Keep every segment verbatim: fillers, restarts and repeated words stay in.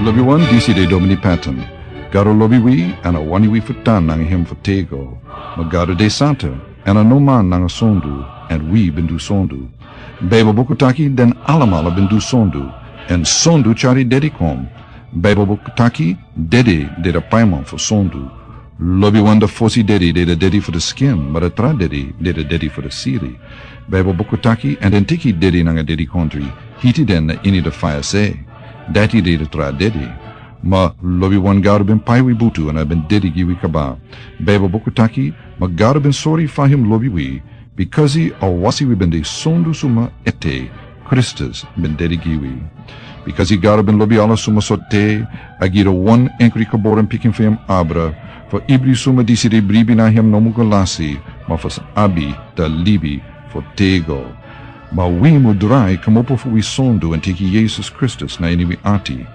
Lobi wan, disi de Domini Patton. Gado lobi wi, èn a wani wi fu tan nanga hem fu tego. Ma Gado de santa, èn a no man nanga sondu, èn wi ben du sondu. Baibel buku taki den alamala ben du sondu, èn sondu tyari dedi kon. Baibel buku taki dedi de da paiman fu sondu. Lobi wan, da fosi dedi de da dedi fu da skin, ma da tra dedi de da dedi fu da siri. Baibel buku taki, èn den teki dedi nanga dedikondri, hiti den na ini da faya se. Dati de da tra dedi. Ma lobi wan, Gado ben pai wi butu èn a ben dedi gi wi kaba. Baibel buku taki, ma Gado ben sori fa hem lobi wi, bikasi a wasi wi ben de sondu suma ete, Kristus ben dedi gi wi. Bikasi Gado ben lobi ala suma sortu, a gi da wan enkri geboren pikin fu hem abra, fu ibri suma disi de bribi na hem no mu go lasi, ma fu sa abi da libi fu tego. Ma wi mu drai kmopo fu wi sondu èn teki Yesus Kristus na ini wi ati.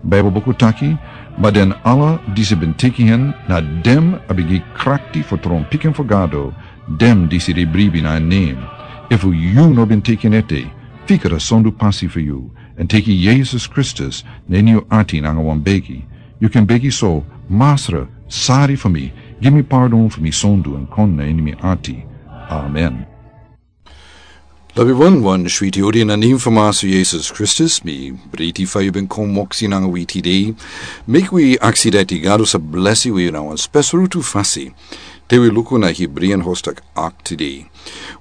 Baibel buku taki, ma den ala disi ben teki hen, na den a ben gi krakti fu tron pikin fu Gado, den disi de bribi na en nen. Efu yu no ben teki en ete, fika da sondu pasi fu yu, èn teki Yesus Kristus na ini yu ati nanga wan begi. Yu kan begi so: Masra, sari fu mi, gi mi pardon fu mi sondu èn kon na ini mi ati. Amen. Lobi wan, wan switi odi na nen fu Masra Yesus Kristus, mi briti fa yu ben kon moksi nanga wi tide. Meki wi aksi dati Gado sa blesi wi na wan spesrutu fasi. Te wi luku na Hebreean hostak ak tide.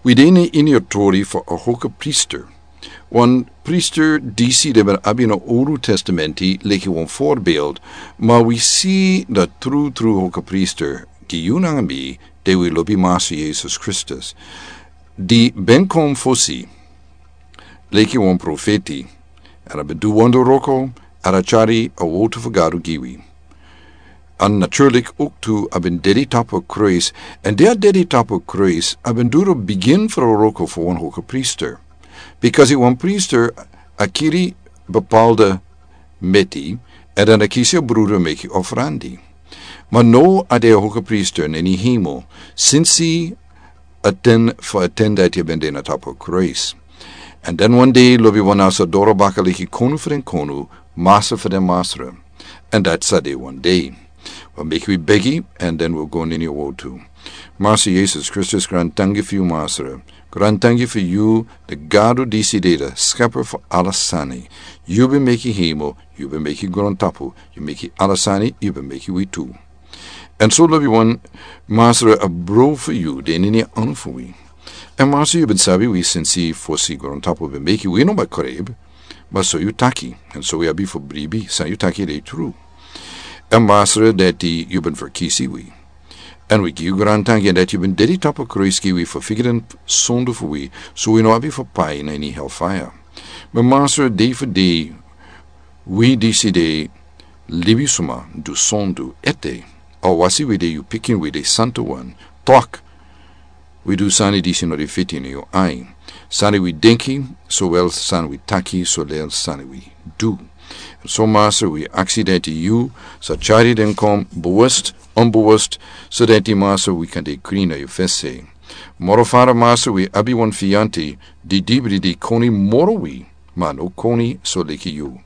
Wi de na ini a tori fu a hoka priester. Wan priester disi den ben abi na Olu Testamenti leki wan voorbeeld, ma wi si da tru tru hoka priester, gi yu nanga mi, te wi lobi Masra Yesus Kristus. Di ben kon fosi, leki wan profeti, èn a ben du wonderwroko, èn a tyari a wowtu fu Gado gi wi. Èn naturlik owktu a ben dedi tapu a kruis, èn di a dedi tapu a kruis, a ben du da bigin fu a wroko fu wan hoka priester. Bikasi wan priester a kiri bepaalde meti, èn dan a kisi a bruder meki ofrandi. Ma now a de a hoka priester na ini hemel, sinsi a ten fu a ten dati a ben de na tapu a kruis. Èn dan wan dei lobi wan a sa doro baka leki Konu fu den konu, Masra fu den masra. Èn dati sa de wan dei. Wi meki wi begi, èn dan wi go na ini a wowtu. Masra Yesus Kristus, grantangi fu yu, Masra. Grantangi fu yu, da Gado disi de da skepper fu ala sani. Yu ben meki hemel, yu ben meki grontapu, yu meki ala sani, yu ben meki wi tu. Èn so lobi wan, Masra, a bron fu yu de na ini a anu fu wi. Èn Masra, yu ben sabi wi sinsi fosi grontapu ben meki, wi no ben kari, ma so yu taki, èn so wi abi fu bribi san yu taki de tru. Èn Masra, dati yu ben ferkisi wi. Èn wi gi yu grantangi èn dati yu ben dedi tapu a kruis gi wi fu figi den sondu fu wi, so wi no abi fu pai na ini hellfire. Ma Masra, dei fu dei, wi disi de libisma du sondu ete. Awasi wi de yu pikin, wi de santa wan, tok, wi du sani disi no de fiti na yu ai. Sani wi denki, sowel sani wi taki, sowel sani wi du. Èn so Masra, wi aksi dati yu sa tyari den kon, bewust, onbewust, so dati Masra, wi kan de krin na yu fesi. Moro fara Masra, wi abi wan fianti, di dibri di koni moro wi, ma a no koni so leki yu.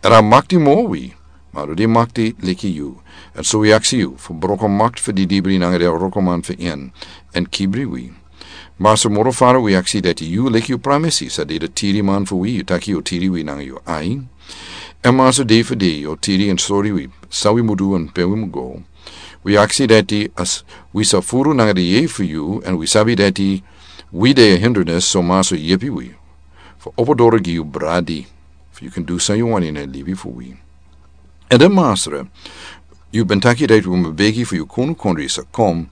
Èn a makti moro wi, ma a no de makti leki yu. Èn so wi aksi yu fu broko makti fu di dibri nanga den wrokoman fu en, èn kibri wi. Masra, moro fara, wi aksi dati yu leki yu pramisi, sa de da tiriman fu wi, yu taki yu o tiri wi nanga yu ai. Èn Masra, dei fu dei yu o tiri èn sori wi san wi mu du èn pe wi mu go. Wi aksi dati a wi sa furu nanga di yeye fu yu, èn wi sabi dati wi de a hindernis, so Masra, yepi wi fu opo doro gi yu bradi, fu yu kan du san yu wani na libi fu wi. Èn dan Masra, yu ben taki dati wi mu begi fu yu konu kondre sa kon.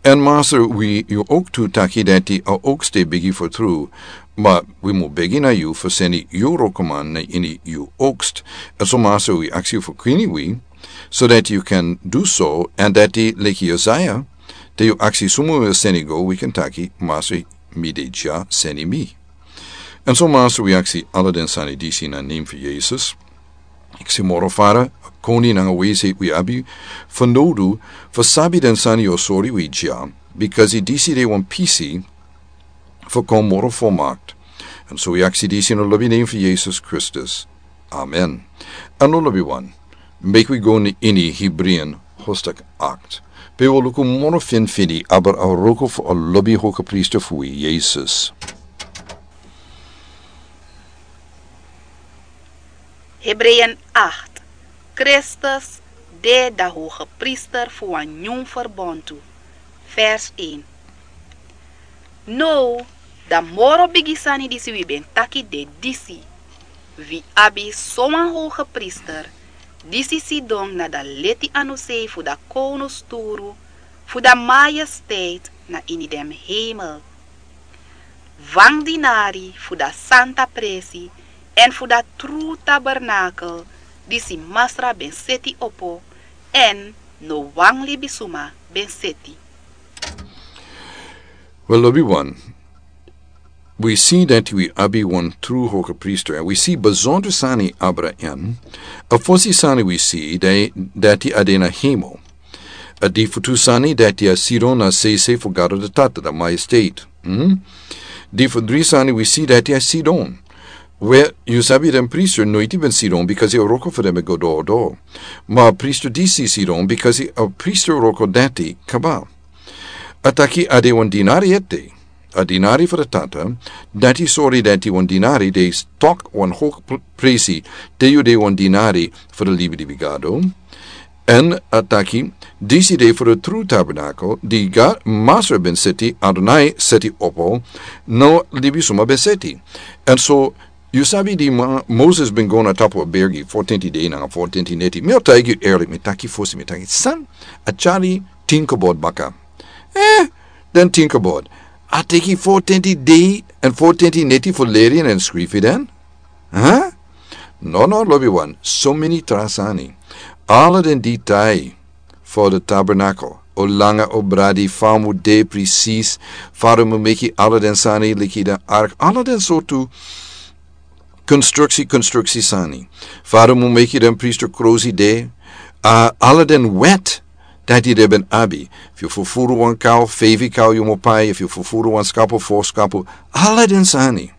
Èn Masra, wi yu owktu taki dati a oks de begi fu tru, ma wi mu begi na yu fu seni yu wrokoman na ini yu oks. Èn so Masra, wi aksi yu fu krini wi, so dati yu kan du so, èn dati leki Isaiah, te yu aksi suma wi o seni go, wi kan taki, Masra, mi de dya, seni mi. Èn so Masra, wi aksi ala den sani disi na nen fu Yesus. Aksi moro fara, koni nanga wesi wi abi fanowdu fu sabi den sani yu o sori wi dya, bikasi disi de wan pisi fu kon moro folmakt. Èn so wi aksi disi na lobi nen fu Yesus Kristus. Amen. Èn lo lobi wan. Meki wi go ini Hebreeën hoofdstuk acht. Pe wi o luku moro finfini abra a wroko fu a lobi hogepriester fu wi, Yesus. Hebreeën acht. Kristus de da hogepriester fu wan nyun ferbontu. Vers één. Now, da moro bigi sani disi wi ben taki de disi: wi abi sowan hogepriester disi sidon na da leti anusei fu da kownusturu fu da majesteit na ini den hemel. Wan dinari fu da santa presi èn fu da tru tabernakel disi Masra ben seti opo, èn no wan libisuma ben seti. Wel, lobi wan, wi si dati wi abi wan tru hogepriester, èn wi si besonder sani abra en. A fosi sani wi si dati a de na hemel. A di fu tu sani dati a sidon na sese fu Gado da Tata, da majesteit. Hmm? Di fu dri sani wi si dati a sidon. We, yu sabi den priester noiti ben sidon, because a wroko fu den ben go doro doro. Ma a priester disi sidon, because a priester wroko dati kaba. A taki a de wan dinari ete. A dinari fu da Tata, dati sori dati wan dinari de tok wan hoge pr-, presi, te yu de wan dinari fu da libi libi Gado. Èn a taki, disi de fu da tru tabernakel di Ga-, Masra ben seti, Adonai seti opo, no libisuma ben seti. Èn so, yu sabi di ma-, Moses ben go na tapu a bergi, fotenti dei nanga fotenti neti. Mi o taigi yu eerlik, mi taki fosi, mi taki san, a tyari tin kobod baka. Eh, den tin kobod. A teki fotenti dei èn fotenti neti fu leri en èn skrifi den? Huh? No, no, lobi wan, so meni tra sani. Ala den detail fu da tabernakel, o langa, o bradi, fa a mu de presis, fa a mu meki ala den sani leki den ark, ala den sortu konstruksi, konstruksi sani. Fa a mu meki den priester krosi de, a, ala den wet dati den ben abi. Efu yu fufuru wan kaw, feifi kaw yu mu pai, efu yu fufuru wan skapu, fo skapu, ala den sani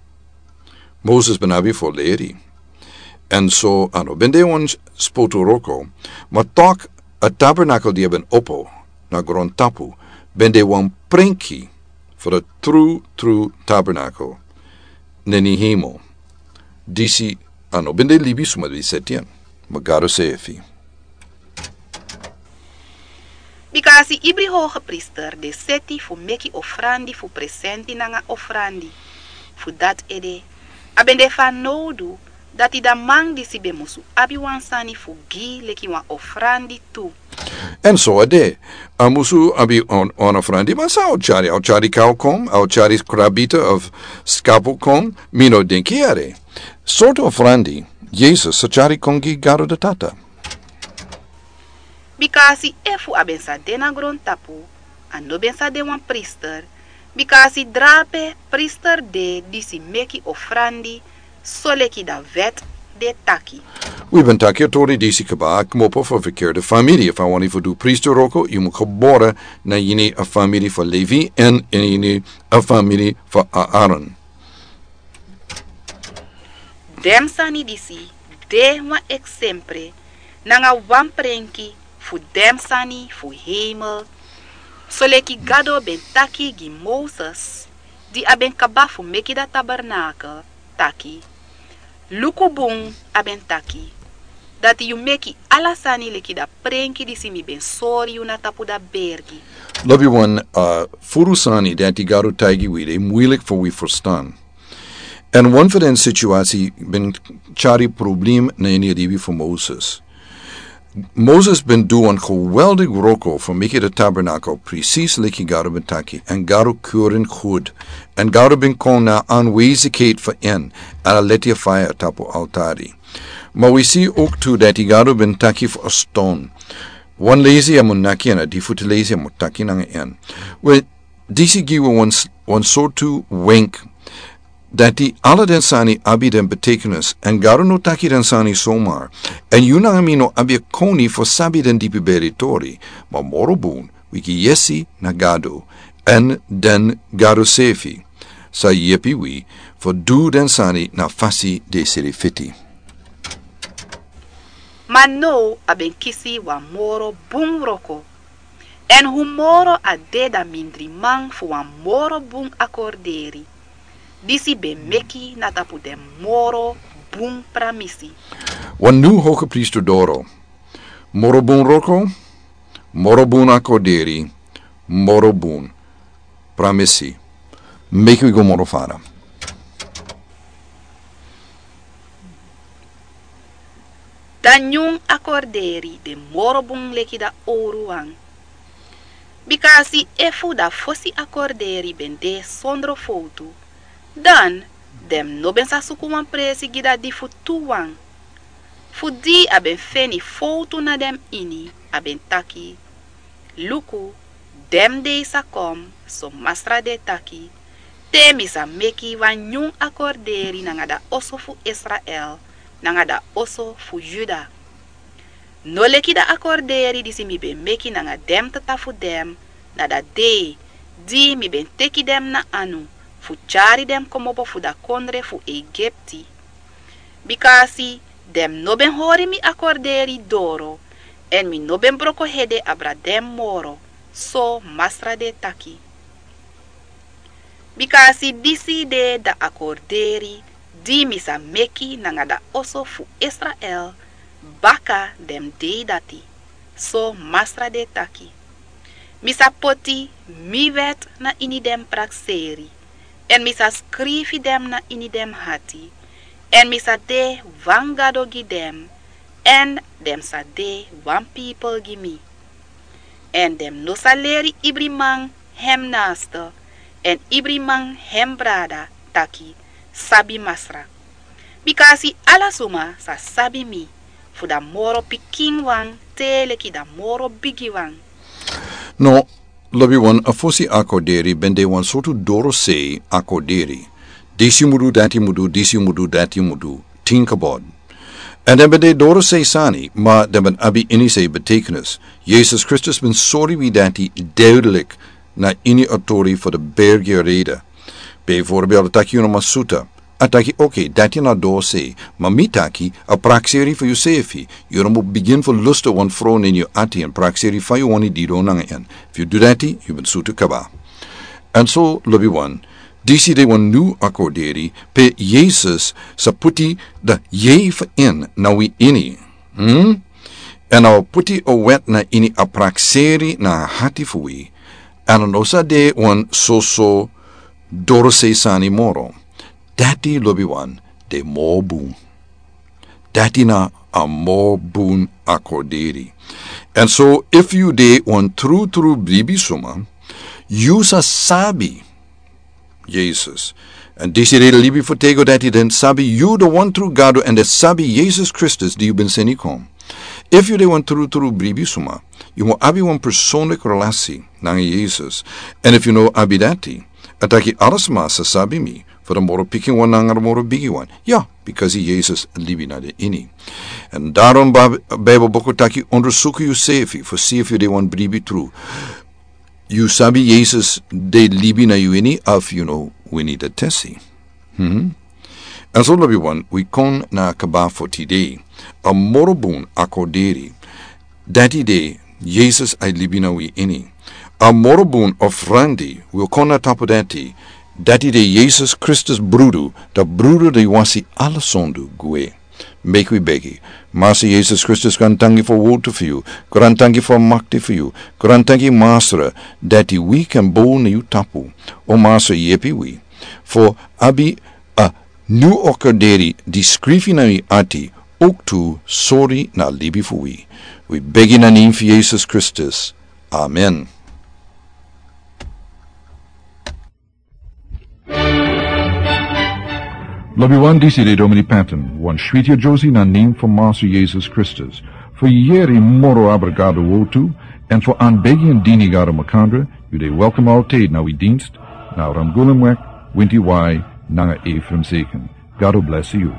Moses ben abi fu leri. Èn so a no ben de wan spotu wroko, ma tok a tabernakel di a ben opo na grontapu ben de wan prenki fu da tru, tru tabernakel na ini hemel. Disi a no ben de libisuma di seti en, ma Gado seefi. Bika a si ibri hogepriester de seti fu meki ofrandi fu presenti nanga ofrandi. Fu dati ede, a ben de fanowdu dati da man disi ben musu abi wan sani fu gi leki wan ofrandi tu. Èn so a de, a musu abi wan, wan ofrandi, ma san a o tyari, a o tyari kaw kon, a o tyari krabita of skapu kon, mi no denki ere. Sortu ofrandi Yesus sa tyari kon gi Gado da Tata? Bika a si efu a ben sa de na grontapu, a no ben sa de wan priester, bika a si drape priester de disi meki ofrandi, soleki da wet de taki. Wi ben taki a tori disi kaba, a kmopo fu a verkeerde famiri. Efu a wani fu du priester wroko, yu mu gebore na ini a famiri fu Levi èn ini a famiri fu Aaron. Den sani disi de wan eksempre nanga wan prenki fu den sani fu hemel. Soleki Gado ben taki gi Moses, di a ben kaba fu meki da tabernakel, taki: Luku bun, a ben taki, dati yu meki ala sani leki da prenki disi mi ben sori yu na tapu da bergi. Lobi wan, a, furu sani dati Gado taigi wi de muilik fu wi ferstan. Èn wan fu den situasi ben tyari problem na ini a libi fu Moses. Moses ben du wan geweldig wroko fu meki da tabernakel presis leki Gado ben taki, èn Gado kuri en gud, èn Gado ben kon na aanwezigheid fu en, èn a leti a faya tapu altari. Ma wi si ook tu dati Gado ben taki fu a ston. Wan lesi a mu naki èn a di fu tu lesi a mu taki nanga en. We, disi gi wi wan s-, wan sortu wenk dati ala den sani abi den betekenis, èn Gado no taki den sani somar, èn yu nanga mi no abi a koni fu sabi den dipi beri tori, ma moro bun, wi gi yesi na Gado, èn den Gado seefi sa yepi wi fu du den sani na fasi di e seri fiti. Ma now a ben kisi wan moro bun wroko. Èn fu moro a de dan mindriman fu wan moro bun akorderi. Disi ben meki na tapu den moro bun pramisi. Wan nyun hogepriester doro. Moro bun wroko, moro bun akorderi, moro bun pramisi. Meki wi go moro fara. Dan nyun akorderi de moro bun leki dan owru wan. Bika a si efu dan fosi akorderi ben de sondro fowtu, dan den no ben sa suku wan presi gi dan di fu tu wan. Fu di a ben feni fowtu na den ini, a ben taki: Luku, den dei sa kon, so Masra de taki, te mi sa meki wan nyun akorderi nanga dan oso fu Israel, nanga dan oso fu Yuda. No leki dan akorderi disi mi ben meki nanga den tata fu den, na dan dei di mi ben teki den na anu, fu tyari den komopo fu dan kondre fu Egipti. Bika a si, den no ben hori mi akorderi doro, èn mi no ben broko hede abra den moro, so Masra de taki. Bika a si, disi de dan akorderi di mi sa meki nanga dan oso fu Israel, baka den dei dati, so Masra de taki. Mi sa poti mi wet na ini den prakseri, èn mi sa skrifi den na ini den ati, èn mi sa de wan Gado gi den, èn den sa de wan pipel gi mi. Èn den no sa leri ibri man hem naaste, èn ibri man hem brada taki: Sabi Masra. Bika a si, ala suma sa sabi mi, fu dan moro pikin wan te leki dan moro bigi wan. No, lobi wan, a fosi akorderi ben de wan sortu dorosei akorderi. Disi yu mu du, dati yu mu du, disi yu mu du, dati yu mu du. Think about. Èn den ben de dorosei sani, ma den ben abi inisei betekenis. Yesus Kristus ben sori wi dati duidelijk na ini a tori fu de bergrede. Bijvoorbeeld, a taki yu no man suta. A taki, oké, dati na dorosei, ma mi taki, a prakseri fu yusefi. Yu no mu bigin fu lusta wan frow na ini yu ati èn prakseri fa yu wani didon nanga en. Efu yu du dati, yu ben sutu kaba. Èn so, lobi wan, disi de wan nyun akorderi, pe Yesus sa puti dan yei fu en na wi ini. Hmm? Èn a o puti a wet na ini a prakseri na a ati fu wi. Èn a no sa de wan soso dorosei sani moro. Dati, lobi wan, de moro bun. Dati na a moro bun akorderi. Èn so, efu yu de wan trutru bribi suma, yu sa sabi Yesus. Èn disi de libi fu tego dati, den sabi yu de wan tru Gado èn den sabi Yesus Kristus di yu ben seni kon. Efu yu de wan trutru bribi suma, yu mu abi wan personlik relasi nanga Yesus. Èn efu yu no abi dati, a taki, ala suma sa sabi mi, fu den moro pikin wan nanga den moro bigi wan. Ya, bikasi Yesus libi na den ini. Èn daarom Bib-, Bijbel buku taki, ondersuku yusefi fu si efu yu de wan bribi tru. Yu sabi Yesus de libi na yu ini, efu yu no wini den tesi. Hmm? Èn so, lobi wan, wi kon na a kaba fu tide. A moro bun akorderi. Dati de, Yesus e libi na wi ini. A moro bun ofrandi, wi kon na tapu dati. Dati de, Yesus Kristus brudu, dan brudu di wasi ala sondu gwe. Meki wi begi. Masra Yesus Kristus, grantangi fu a wowtu fu yu. Grantangi fu a makti fu yu. Grantangi, Masra, dati wi kan bow na yu tapu. O Masra, yepi wi fu abi a nyun akorderi di skrifi na wi ati, ook tu sori na libi fu wi. Wi begi na nen fu Yesus Kristus. Amen. Lobi wan, disi de Domini Patton, wan switi a Josie na nen fu Masra Yesus Kristus. Fu yeri moro abra Gado wowtu, èn fu anbegi èn dini Gado makandra, yu de welkom altijd na wi dienst, na Ramgulumweg, winti wai, nanga Ephraim Zeken. Gado bless yu.